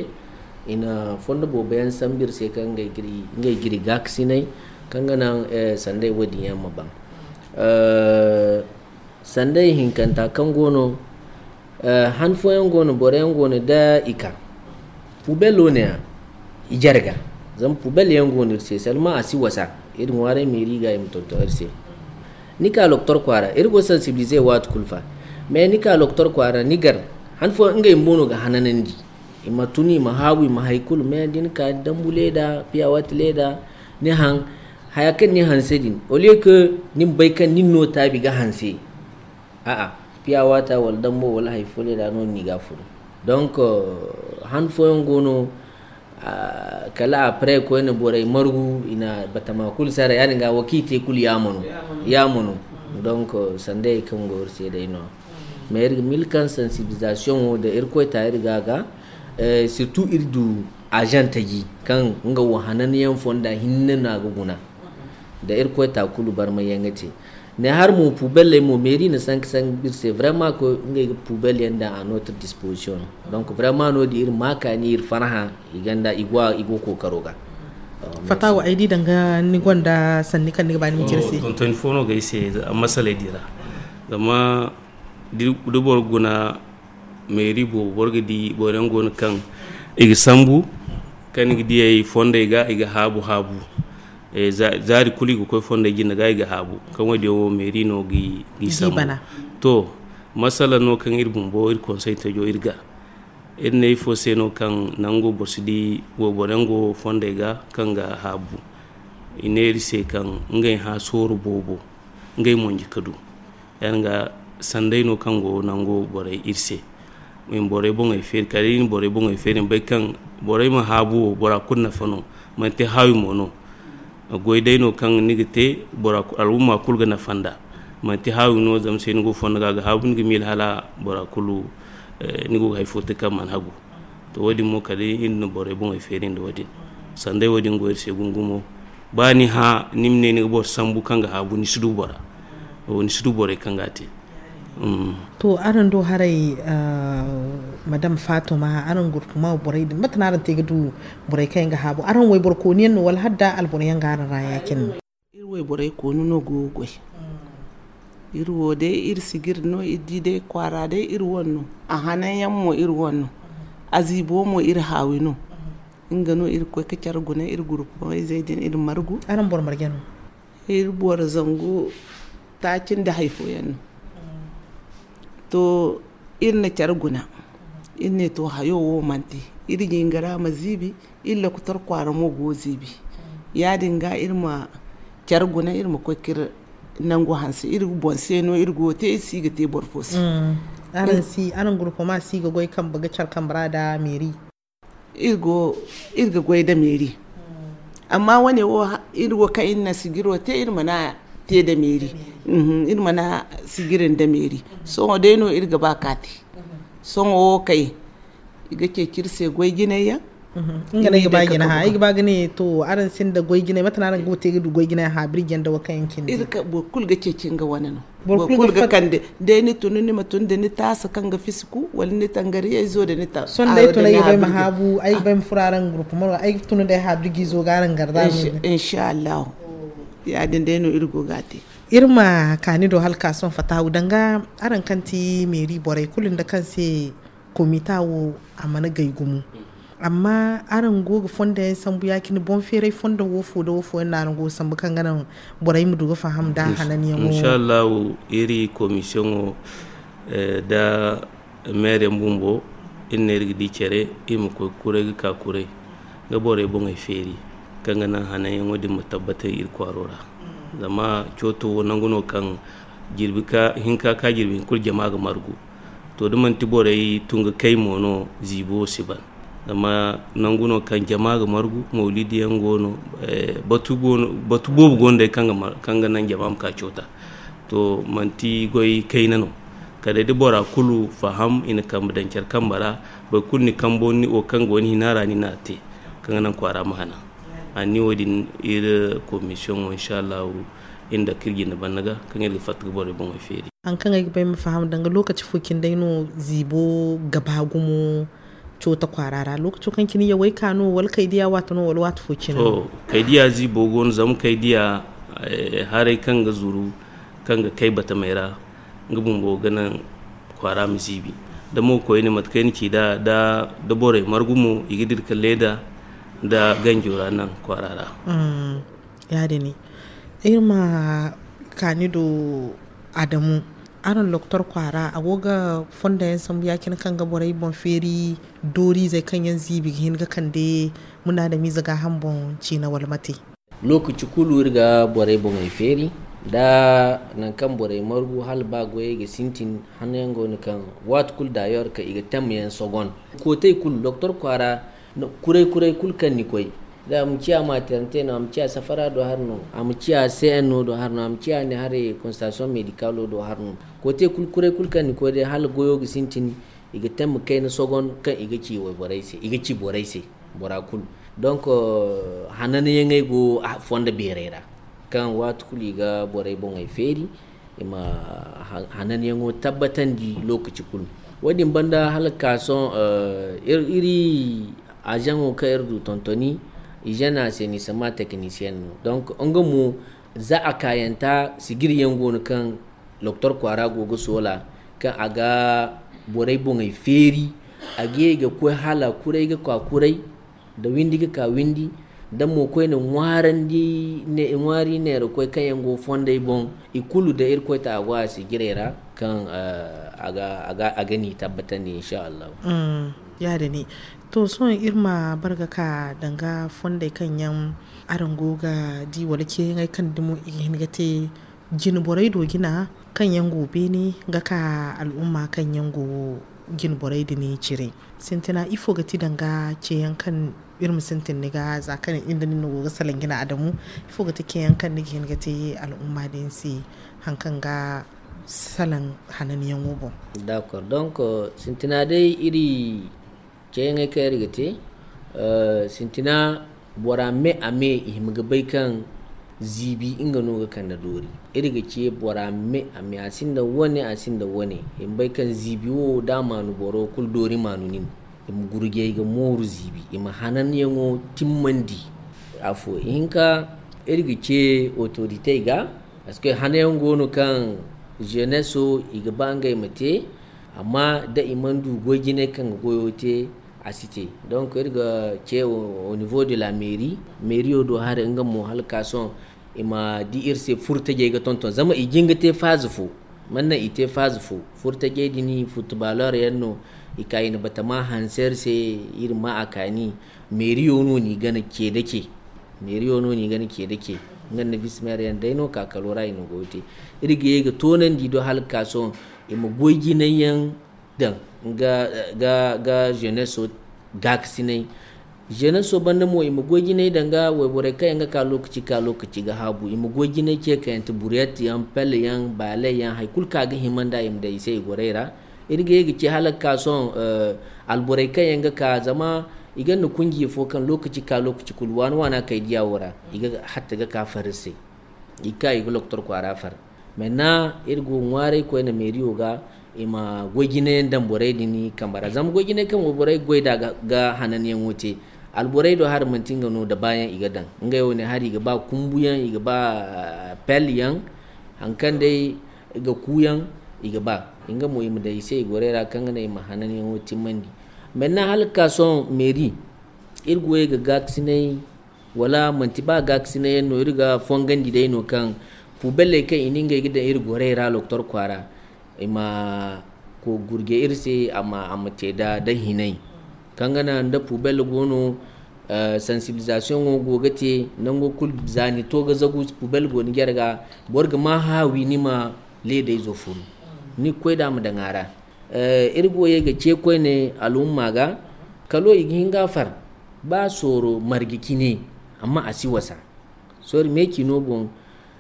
i na fondo boobo yaŋ sambu iri se kaŋ ngey ga iri gaakasinay, kaŋ ga naŋ sanday wo-din yaŋ ma ban. Sanday hinkanta kaŋ go no, han fooyaŋ go no, boro yaŋ go no da i ka poubelle wo ne-ya i jarga. Zama poubelle yaŋ go no iri se, seulement a si wasa. Iri ŋwaaray meeri ga i ma tonton iri se. Ni ka loktor kwaara, iri go sensibiliser waati kulu fa. Mais ni ka loktor kwaara, ni gar, han fooyaŋ ngey bumbo no ga hananandi. I ma tun, i ma haabu, i ma hay kulu. Mais da ni ka dambu leeda, piyawat leeda, ni haŋ, haya kaŋ ni hanse din, au lieu que ni ma bay kaŋ nin no taabi ga hanse. A'a, piyawata wala dambo wala hay fo leeda no ni ga furu. Donc, euh, han fooyaŋ go no, ah, kala après koyne borey margu, i na batama kulu sara, yaadin ga wo kaŋ i te kulu yaamo no. Yaamo no. Donc, euh, sanda hay kaŋ go iri se day no. Mais iri ga mil kaŋ sensibilisation wo da Irkoy ta iri ga ga, eh, surtout iri du agent taji kaŋ nga wo hananyaŋ fonda hinne no a ga guna. Da Irkoy ta kulu barmay yaŋ ga te. Ne har mo poubelle mo, mairie na sanka sanka iri se vraiment ko ngey ga poubelle yaŋ daŋ à notre disposition. Donc vraiment no-din iri ma kaani, iri farhã, i ganda, i go, i go kookaro ga. Fatawa, ay di danga ni gonda sanni kaŋ ni ga ba ni ma cire se. Tonton fo no ga ay se masaley di ra. Zama da boro guna mairie boobo, boro ga di boro yaŋ go no kaŋ i ga sambu, kaŋ ni ga diyey fondey ga, i ga haabu haabu. Eh, za-, zaari kulu i ga koy fondey jinde ga, i ga haabu. Kaŋ wo-din wo mairie no ga i, ga i sambu. To, masala no kaŋ iri bumbo, iri konsey tajo iri ga. Iri ne ifo se no kaŋ nango boro si di wayboro yaŋ go fondey ga kaŋ ga haabu. I ne iri se kaŋ ngey hã sooro boobo, ngey monji ka du. Yaadin ga sanday no kaŋ go nango borey iri se. I ma borey boŋey feeri, kala iri na borey boŋey feeri, i ma bay kaŋ borey ma haabu wo, bora kulu nafa no, manti haawi mo no. Goy day no kaŋ ni ga te, bora ku-, al'umma kulu ga nafa nd'a. Manti haawi no, zama se ni go fondo ga, a ga haabu, ni ga miila hala bora kulu, eh, ni go ga hay fo te kaŋ mana hagu. To, wo-din mo, kala iri na borey boŋey feeri nda wo-din. Sanday wo-din go iri se gumo-gumo. Ba ni hã, ni ma ne ni ga boro sambu kaŋ ga haabu, ni si du bora. Wo, ni si du borey kaŋ ga a te. Mm. To, araŋ do haray, ah, Madame Fatuma, araŋ gurpuma borey din, mate no araŋ te ga du borey kaŋ yaŋ ga haabu? Araŋ wayboro kooni yaŋ no, wala hala da alboro yaŋ ga araŋ ra ya-cine? Iri wayborey kooni no go ga goy. Iri wo day, iri sijiri no, iri di day kwaara day, iri wane no. A hanan yaŋ mo, iri wane no. A ziibo mo, iri haawi no. Nga no iri ga koy ga care guna, iri gurpumeyzey din, iri margu. Araŋ boro marje no? Iri boro zangu taaci nda hay fooyaŋ no. To, iri na care guna. Iri ne, to, hayo wo mana te. Iri jingara ma ziibi, iri lokotor kwaara mo go ziibi. Yaadin ga iri ma care guna, iri ma koy ga iri nangu hanse. Iri boŋ se no iri go ga te, iri si ga te boro fo se. Mm. Araŋ si, araŋ gurpuma si ga goy kambe ga care kambe ra nda meeri? Iri go, iri ga goy nda meeri. Amma wane wo, ha-, iri wo kaŋ iri na sijiro te, iri mana te nda meeri. Mhm, iri mana sijiri nda meeri. Sohõ day no iri ga ba ka te. Sohõ wo kay, i ga ceeci iri se goy jinay yaŋ. Mhm. Nga no ay ga ba ga ne, ha, ay ga ba ga ne, to, araŋ sinda goy jinay, mate no araŋ ga te ga du goy jinay haabu iri janda wo kaŋ yaŋ cindi? Iri ka, boro kulu ga ceeci nga wane no. Boro kulu ga kande. Day ni tun, ni ma tun da ni taasa kaŋ ga fisiku, wala ni tangariyayzo da ni ta-, sohõ day tun ay ga bay ma haabu, ay ga bay ma furo araŋ gurpuma ra, ay ga tun day haabu iri ga izo ga araŋ garda. Insha Allahu. Yaadin day no iri go ga a te. Iri ma kaani do hala ka sohõ fatahu danga araŋ kaŋ ti meeri borey kulu nda kaŋ se komita wo a mana gay gumo. Amma araŋ go ga fondo yaŋ sambu ya-cine, boŋ feeray fondo wo fo da wo fo yaŋ no araŋ go ga sambu kaŋ ga naŋ borey ma du ga faham nda hananyaŋo? Insha Allahu, iri komisiyoŋo, eh, da meereyaŋ bumbo, iri ne iri ga di care, iri ma koy kuray ga ka kuray, ga borey boŋey feeri, kaŋ ga naŋ hananyaŋo din ma tabbatay iri kwaaro ra. Zama cooto wo nangu no kaŋ jirbi ka, hinka ka jirbi hinkulu jama ga margu. To, da manti borey tun ga kay mo no, ziibo wo si ban. Zama nangu no kaŋ jama ga margu, mawlidiyaŋ go no, eh, batu go no, batu boobo go no day kaŋ ga mar-, kaŋ ga naŋ jama ma ka coota. To, manti goy kayna no. Kala day da bora kulu faham, i na kambe daŋ care kambe ra, boro kulu ni kambo ni wo kaŋ go ni hina ra, ni n'a te, kaŋ ga naŋ kwaara ma hanan. A ni wo-din iri komisiyoŋo, insha Allahu, iri nda kaŋ iri jinde banda ga, kaŋ iri ga fatta ga borey boŋey feeri. Haŋ kaŋ ay ga bay ma faham danga, lokaci fo cine day no ziibo ga ba gumo coota kwaara ra? Lokaco kaŋ cine yawey ka no, wala kay diya waati no, wala waati fo cine no? To, kay diya ziibo go no, zama kay diya, eh, haray kaŋ ga zuru, kaŋ ga kay batamey ra, nga bumbo ga naŋ kwaara ma ziibi. Da mo koyne, mate kaŋ ay na ci da, da, da borey margu mo, i ga dira ka leeda nda ganjo ra naŋ kwaara ra. Mm. Yaadin. Iri ma Kaani do Adamu, araŋ doktor kwaara, a go ga fondo yaŋ sambu ya-cine kaŋ ga borey boŋ feeri, dooriizey kaŋ yaŋ ziibi ga hin ga kande munaadamiize gaaham boŋ ciina wala mate? Lookaci kulu iri ga borey boŋey feeri, da nangu kaŋ borey margu hala ba goyey ga sintin, hanayaŋ go no kaŋ waati kulu daayor kaŋ i ga tamyaŋ sogon. Kootey kulu, doktor kwaara, kuray-kuray kulu kaŋ ni koy, da a ma ciya maternité no, a ma ciya safara do hari no, a ma ciya C N O do hari no, a ma ciya ne haray consultation médicale do hari no. Kootey kulu, kuray kulu kaŋ ni koy day, hala goyo ga sintin, i ga tamma kayna sogon kaŋ i ga ci wayborey se, i ga ci borey se, bora kulu. Donc, hananyaŋey go fondo beerey ra, kaŋ waati kulu i ga borey boŋey feeri, i ma hananyaŋo tabbatandi lookaci kulu. Wo-din banda hala ga ka sohõ, iri azaŋo kaŋ iri du tontoni, hygiène assainissement technicien no. Donc, nga mo, za a kaayanta, sigiriyaŋ go no kaŋ doktor kwaara go ga soola, kaŋ a ga borey boŋey feeri, a ga ye ga koy hala kuray ga ka kuray, da windi ga ka windi, da mo koyne ŋwaarandi, ŋwaari neerakoy kaŋ yaŋ go fondey boŋ, i kulu da Irkoy ta a go a sijiray ra, kaŋ a ga ni tabbatandi, insha Allahu. Ya-din no. To, sohõ iri ma bare ga ka danga fondey kaŋ yaŋ araŋ go ga di, wala ceeyaŋey kaŋ dumo i ga hin ga te jine borey do jina, kaŋ yaŋ go beene ga ka al'umma kaŋ yaŋ go jine borey din cire. Sintina, ifo ga ti danga ceeyaŋ kaŋ iri ma sintin ni ga, za kaŋ iri nda nin no go ga salaŋ jina Adamu, ifo ga ti ceeyaŋ kaŋ ni ga hin ga te al'umma din se, haŋ kaŋ ga salaŋ hananyaŋo boŋ? D'accord. Donc, sintina day iri ceeyaŋey kaŋ iri ga te, sintina bora me a me i hima ga bay kaŋ ziibi nga no ga kande doori. Iri ga ce bora me a me, a sinda wane, a sinda wane. I ma bay kaŋ ziibi wo, da a maanu boro kulu doori maanu nin. I ma gurjay ga mooru ziibi, i ma hananyaŋo timmandi. Afo, ihinka, iri ga ce autorité ga, parce que hanayaŋ go no kaŋ jeunesse i ga ba ngey ma te, amma da i mana du goy jinay kaŋ ga goyo te, a si te. Donc, iri ga ce au niveau de la mairie, mairie do hari nga mo hala ga ka sohõ, i ma di iri se furtajey ga tonton, zama i jin ga te phase fo. Mana naŋ i te phase fo, furtajey din footballeur yaŋ no, i ka i na batama hanse iri se, iri ma a kaani. Mairie no n'i gana ce da ce. Mairie no n'i gana ce da ce. Nga nda vice maire yaŋ day no, ka kalo ra i na goyo te. Iri ga ye ga toonandi do hala ga ka sohõ, i ma goy jinay yaŋ daŋ ga, ga, ga jeunesse gaakasinay. Jeunesse banda mo, i ma goy jinay daŋ ga wayborey kaŋ yaŋ ga ka lookaci ka lookaci ga haabu. I ma goy jinay ce kayante, buriyat yaŋ, pelle yaŋ, baaley yaŋ, hay kulu kaŋ a ga hima nd'a, i ma daŋ i se i gorey ra. Iri ga ye ga ce hala ga ka sohõ, alborey kaŋ yaŋ ga ka, zama i gonda kunjiya fo kaŋ lookaci ka lookaci kulu, waana-waana kay diya wo ra, i ga hatta ga ka far iri se. I ga ka i ga doktor kwaara far. Maintenant, iri go ga ŋwaaray koyne mairie wo ga, i ma goy jinayaŋ daŋ borey din kambe ra. Zama goy jinay kaŋ go borey ga goy nd'a ga, ga hananyaŋo te, alborey do hari manti nga no da baayaŋ i ga daŋ. Ngey wo ne hari i ga ba kumbuyaŋ, i ga ba, ah, pelle yaŋ, haŋ kaŋ day ga kuuyaŋ, i ga ba. Nga mo, i ma daŋ i se i gorey ra kaŋ ga naŋ i ma hananyaŋo timmandi. Maintenant, hala ga ka sohõ mairie, iri go ye ga gaakasinay, wala manti ba gaakasinay yaŋ no, iri ga fongandi day no kaŋ poubelley kaŋ i na ngey ga daŋ iri gorey ra doktor kwaara, i ma ko gurje iri se, a ma, a ma te da, da hinay. Kaŋ ga naŋ da poubelle go no, eh, sensibilisation wo go ga te, nango kulu za ni to ga zagu, poubelle go ni jare ga, boro ga ma haawi ni ma leedayzo furu. Ni ga koy da a ma daŋ a ra. Eh, iri go ye ga ce koyne al'umma ga, kalo i ga hin ga far, ba sooro marje cine, amma a si wasa. Sooro me cino boŋ,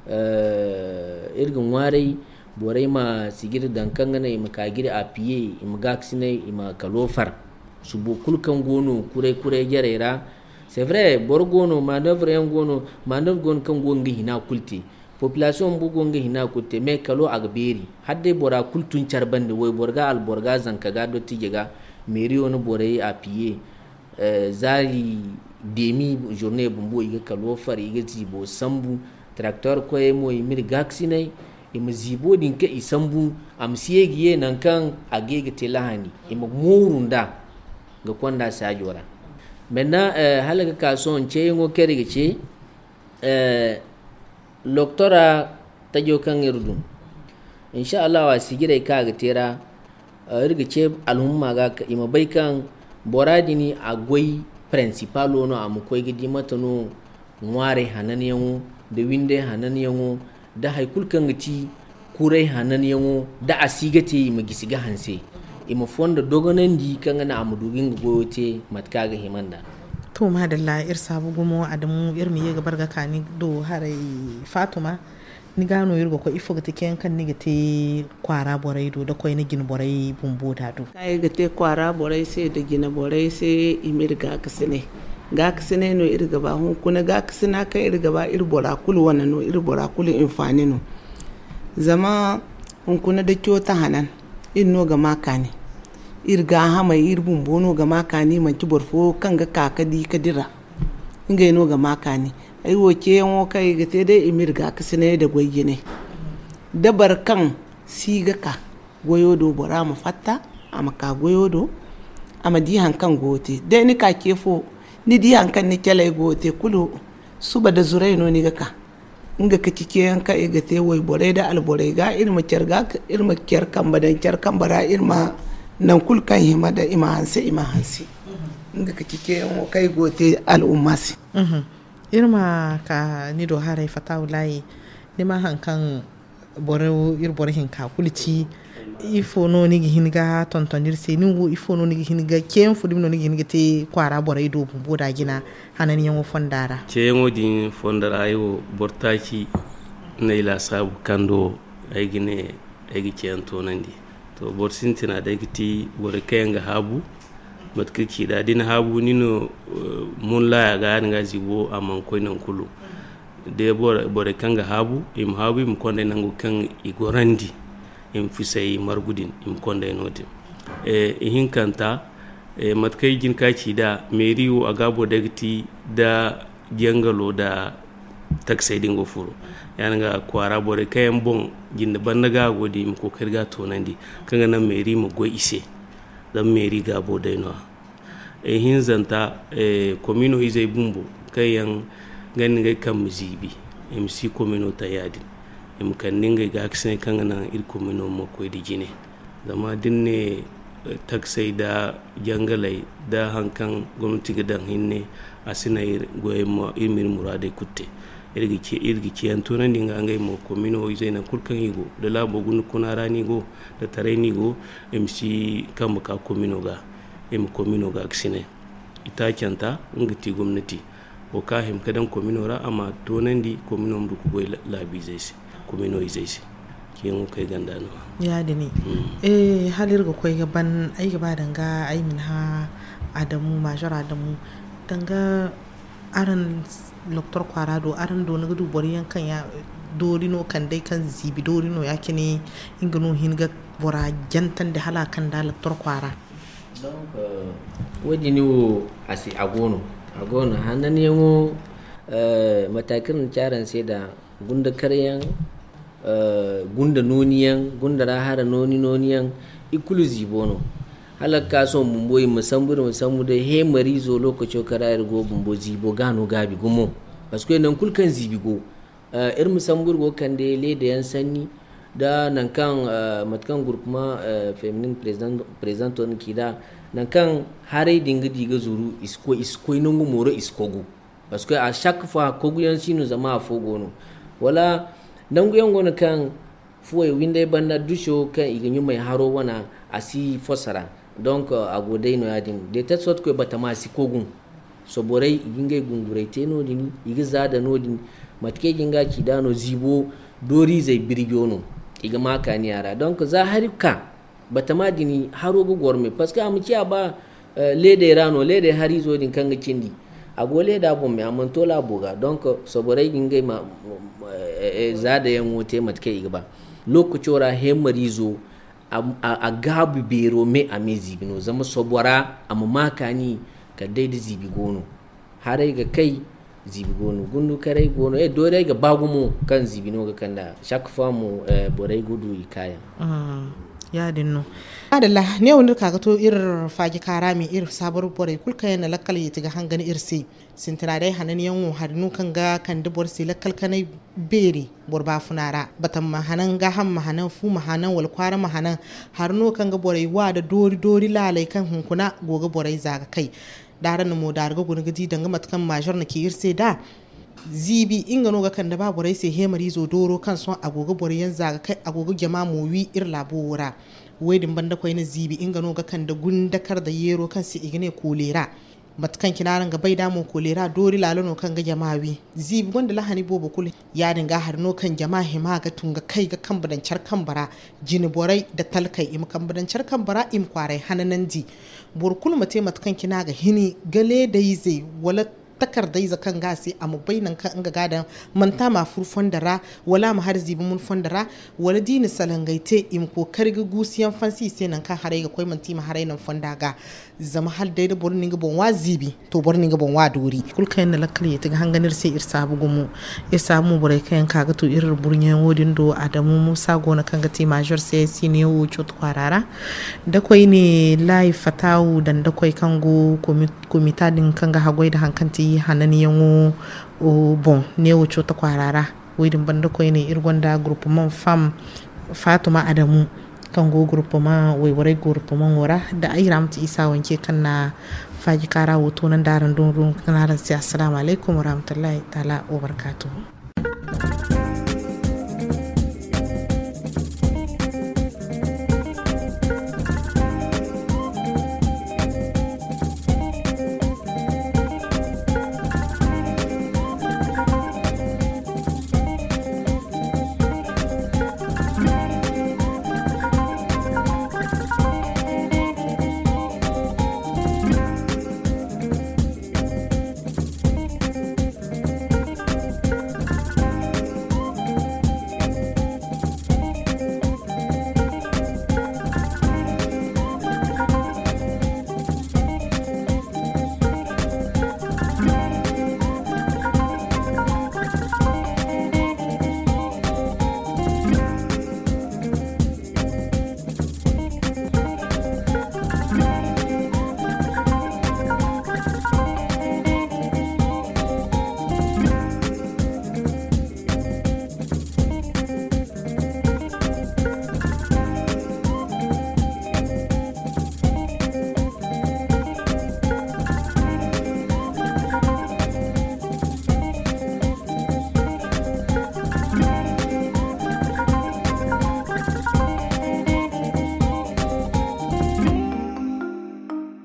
eh, iri ga ŋwaaray, borey ma sijiri daŋ kaŋ ga naŋ i ma ka ga iri appuyer, i ma gaakasinay, i ma kalo far. Subo kulu kaŋ go no kuray-kuray jarey ra, c'est vrai, boro go no, manœuvre yaŋ go no, manœuvre go no kaŋ go ga nga hina kulu te. Population bumbo go nga hina kulu te, mais kalo a ga beeri. Hala day bora kulu tun care bande, wayboro ga, alboro ga, zanka ga, dottijo ga, mairie wo na borey appuyer, eh, zaari demi journée bumbo, i ga kalo far, i ga ziibo sambu, tracteur koyey mo, i m'iri gaakasinay, i ma ziibo din kaŋ i sambu, a ma si ye ga ye nangu kaŋ a ga ye ga te lahani, i ma mooru nd'a ga konda saajo ra. Maintenant, eh, hala ga ka sohõ ceeyaŋo kaŋ iri ga ce, eh, doktora Tajo kaŋ iri dum, insha Allah, a sijirey kaŋ a ga te ra, iri ga ce alhumma ga i ma bay kaŋ bora din a goy principalo no, a ma koy ga di mate no ŋwaarey hananyaŋo nda windey hananyaŋo nda hari kulu kaŋ ga ti kuray hananyaŋo, da a si ga te, i ma gisi ga hanse, i ma fondo dogonandi kaŋ ga naŋ a ma du ga nga goyo te mate kaŋ a ga hima nd'a. To, madalla, iri saabu gumo, Adamu, iri ma ye ga bare ga ka ni do haray. Fatuma, ni ga no iri ga koy, ifo ga ti ceeyaŋ kaŋ ni ga te kwaara borey do, da koyne jine borey bumbo da do? Kaŋ ay ga te kwaara borey se da jine borey se, i m'iri gaakasinay. Gaakasinay no iri ga ba. Hunkuna gaakasina kaŋ iri ga ba, iri bora kulu wane no, iri bora kulu hinfaani no. Zama hunkuna da cooto hanan, iri no ga ma kaani. Iri gaahamey, iri bumbo no ga ma kaani, manti boro fo kaŋ ga ka ga di ga dira. Ngey no ga ma kaani. Ay wo, ceeyaŋo kaŋ i ga te day, i m'iri gaakasinay da goy jine. Da boro kaŋ si ga ka goyo do, bora ma fatta, a ma ka goyo do, a ma di hari kaŋ go ga te. Day ni ka ce fo, ni di hari kaŋ ni caley go ga te kulu, suba da zuray no ni ga ka. Nga ka ci ceeyaŋ kaŋ i ga te wayborey da alborey ga, iri ma care ga, iri ma care kambe daŋ care kambe ra, iri ma nangu kulu kaŋ hima da i ma hanse, i ma hanse. Nga ka ci ceeyaŋo kaŋ i go ga te al'umma se. Iri ma ka ni do haray, Fatawulahi, ni ma hari kaŋ boro, iri boro hinka kulu ci. Ifo no ni ga hin ga tonton iri se? Ni wo, ifo no ni ga hin ga, ceeyaŋ fo dumi no ni ga hin ga te kwaara borey do bumbo da jina hananyaŋo fonda ra? Ceeyaŋo din fonda ra, ay wo, boro taaci no ay laasaabu kaŋ do ay ga ne ay ga ceeyaŋ toonandi. To, boro sintina day ga ti borey kaŋ yaŋ ga haabu. Mate kaŋ ci da, da ni haabu, ni no, eh, mun laaya ga, yaadin ga ziibo, a mana koy nangu kulu. Da boro, borey kaŋ ga haabu, i ma haabu, i ma konda nangu kaŋ i gorandi, i ma fisay margu din, i ma konda no-din. Eh, ihinkanta, eh, mate kaŋ i jin ka ci da, meeri wo, a gaabo day ga ti da jangalo da taksey din go furo. Yaadin ga kwaara borey kaŋ yaŋ boŋ jinde banda ga go din, i ma kookari ga toonandi, kaŋ ga naŋ meeri ma goy i se. Zama meeri gaabo day no-ya. Ihinzanta, eh, komino izey bumbo kaŋ yaŋ ga ni ngey kambe ziibi, i ma si komino taŋ yaadin. I ma kande ngey gaakasinay kaŋ ga naŋ iri komino ma koy da jine. Zama da ni ne, eh, taksey da jangaley da hari kaŋ gomnati ga daŋ hinne, a si naŋ iri goyey ma, iri ma iri muraadey kulu te. Iri ga ce, iri ga ceeyaŋ toonandi nga ngey mo, komino izey nangu kulu kaŋ i go, da laabo guna kuna ra no i go, da taray no i go, i ma si kambe ka komino ga, i ma komino gaakasinay. Itaacanta, nga ga ti gomnati. Wo kaŋ a hima ga daŋ komino ra, a ma toonandi, komino ma du ga goy la-, laabiizey se, komino izey se. Ceeyaŋo kaŋ ay gonda no-ya. Yaadin. Mm. Eh, hala iri ga koy ga ban, ay ga ba danga ay ma ni hã Adamu, Major Adamu, danga araŋ Loktor kwaara do, araŋ do ni ga du boro yaŋ kaŋ ya doori no, kand'ey kaŋ ziibi doori no, ya-cine nga no hin ga bora jantandi hala a kand'a Loktor kwaara. Donc, euh, wo-din wo, a si, a go no. A go no. Hananyaŋo, euh, mate kaŋ iri na ci araŋ se da gunda karyaŋ, euh, gunda nooniyaŋ, gunda ra hara nooni, nooniyaŋ, i kulu ziibo no. Hala ga ka sohõ bumbo, iri ma sambu, iri ma sambu day, he mariizo lookaco kaŋ ra iri go bumbo, ziibo ga no gaabi gumo. Parce que nangu kulu kaŋ ziibi go, Eh, iri ma sambu iri go ga kande leedayaŋ sanni, da nangu kaŋ, eh, mate kaŋ groupement, eh, féminin président, présidento din ci nd'a, nangu kaŋ haray din ga di ga zuru, i si koy, i si koy nangu mooro, i si kogu. Parce que à chaque fois, koguyaŋ si no, zama afo go no. Wala nanguyaŋ go no kaŋ fuwey windey banda duco kaŋ i ga ɲumay haro wana, a si fosa ra. Donc, a go day no yaadin. De telle sorte que batama si kogu. Soborey, i ga ngey gunguray te noodin, i ga zaada noodin. Mate kaŋ i ga nga ci nd'a no, ziibo dooriizey birjo no, i ga ma kaani a ra. Donc, za hari ka, batama din haro ga goro me. Parce que a ma ciya ba, eh, leedey ra no, leedey hariizo din kaŋ ga cindi. A go leeda boŋ me, a mana to laabo ga. Donc, soborey ga ngey ma, eh, eh, zaadayaŋo te mate kaŋ i ga ba. Lookaco ra, heemariizo, a, a, a gaabu beero me, a me ziibi no. Zama sobora, a ma ma kaani kala day da ziibi go no. Haray ga kay, ziibi go no. Gundukarey go no. Eh, doorey ga ba gumo kaŋ ziibi no ga kand'a. Chaque fois mo, eh, borey ga du i kaayaŋ. Mm. Ya-din no. Adalla, ne wo ni ka ga to iri faaji kaarami iri saabar borey kulu kaŋ yaŋ na lakkal yeeti ga hangan iri se. Sintina day hananyaŋo hari no kaŋ ga kande boro se lakkal kanay beeri boro baafuna ra. Batan ma hanan, gaaham ma hanan, fu ma hanan, wala kwaara ma hanan. Hari no kaŋ ga borey wa da doori doori laaley kaŋ hunkuna go ga borey za ga kay. Da araŋ na mo daari ga guna ga di danga mate kaŋ maazor na ci iri se da ziibi nga no ga kande ba borey se heemariizo dooro kaŋ sohõ a go ga boro yaŋ za ga kay, a go ga jama mo wi iri laabo wo ra. Wo-din banda koyne ziibi nga no ga kande gundakar da yeero kaŋ se i ga ne koolera. Mate kaŋ cine araŋ ga bay da mo koolera doori laalo no kaŋ ga jama wi. Ziibi gonda lahani boobo kulu. Ya-din ga hari no kaŋ jama hima ga tun ga kay ga kambe daŋ care kambe ra. Jine borey da talkey i ma kambe daŋ care kambe ra i ma kwaaray hananandi. Boro kulu ma te mate kaŋ cine a ga hini ga leedayze wala takardayze kaŋ ga a se a ma bay nangu kaŋ nga ga a daŋ. Manti a ma a furu fondo ra, wala a ma hari ziibi mun fondo ra, wala da i na salangey te i ma kookari ga guusu yaŋ fansi i se nangu kaŋ haray ga koy manti i ma haray naŋ fonda ga. Zama hala day da boro na nga boŋ wa ziibi, to boro na nga boŋ wa doori. Kulu kaŋ yaŋ na lakkal yeeti ga hangan iri se iri saabu gumo. Iri saabu mo borey kaŋ yaŋ ka ga to iri burɲayaŋo din do adamu muusa go no kaŋ ga ti maazor se siniyaŋo cooto kwaara ra. Da koyne laayi fatawu daŋ da koy kaŋ go komita din kaŋ ga haggoy da hari kaŋ ti hananyaŋo boŋ neewo cooto kwaara ra. Wo-din banda koyne iri gonda gurupemaŋ fam faatuma adamu kaŋ go gurupemaŋ wayborey gurupemaŋo ra. Da ay ra ma ti isa wanke kaŋ na faaji kaara wo toonandi araŋ doŋ doŋ kaŋ araŋ se assalaamu alaykum warahmatullahi taala wabarkaatuhu.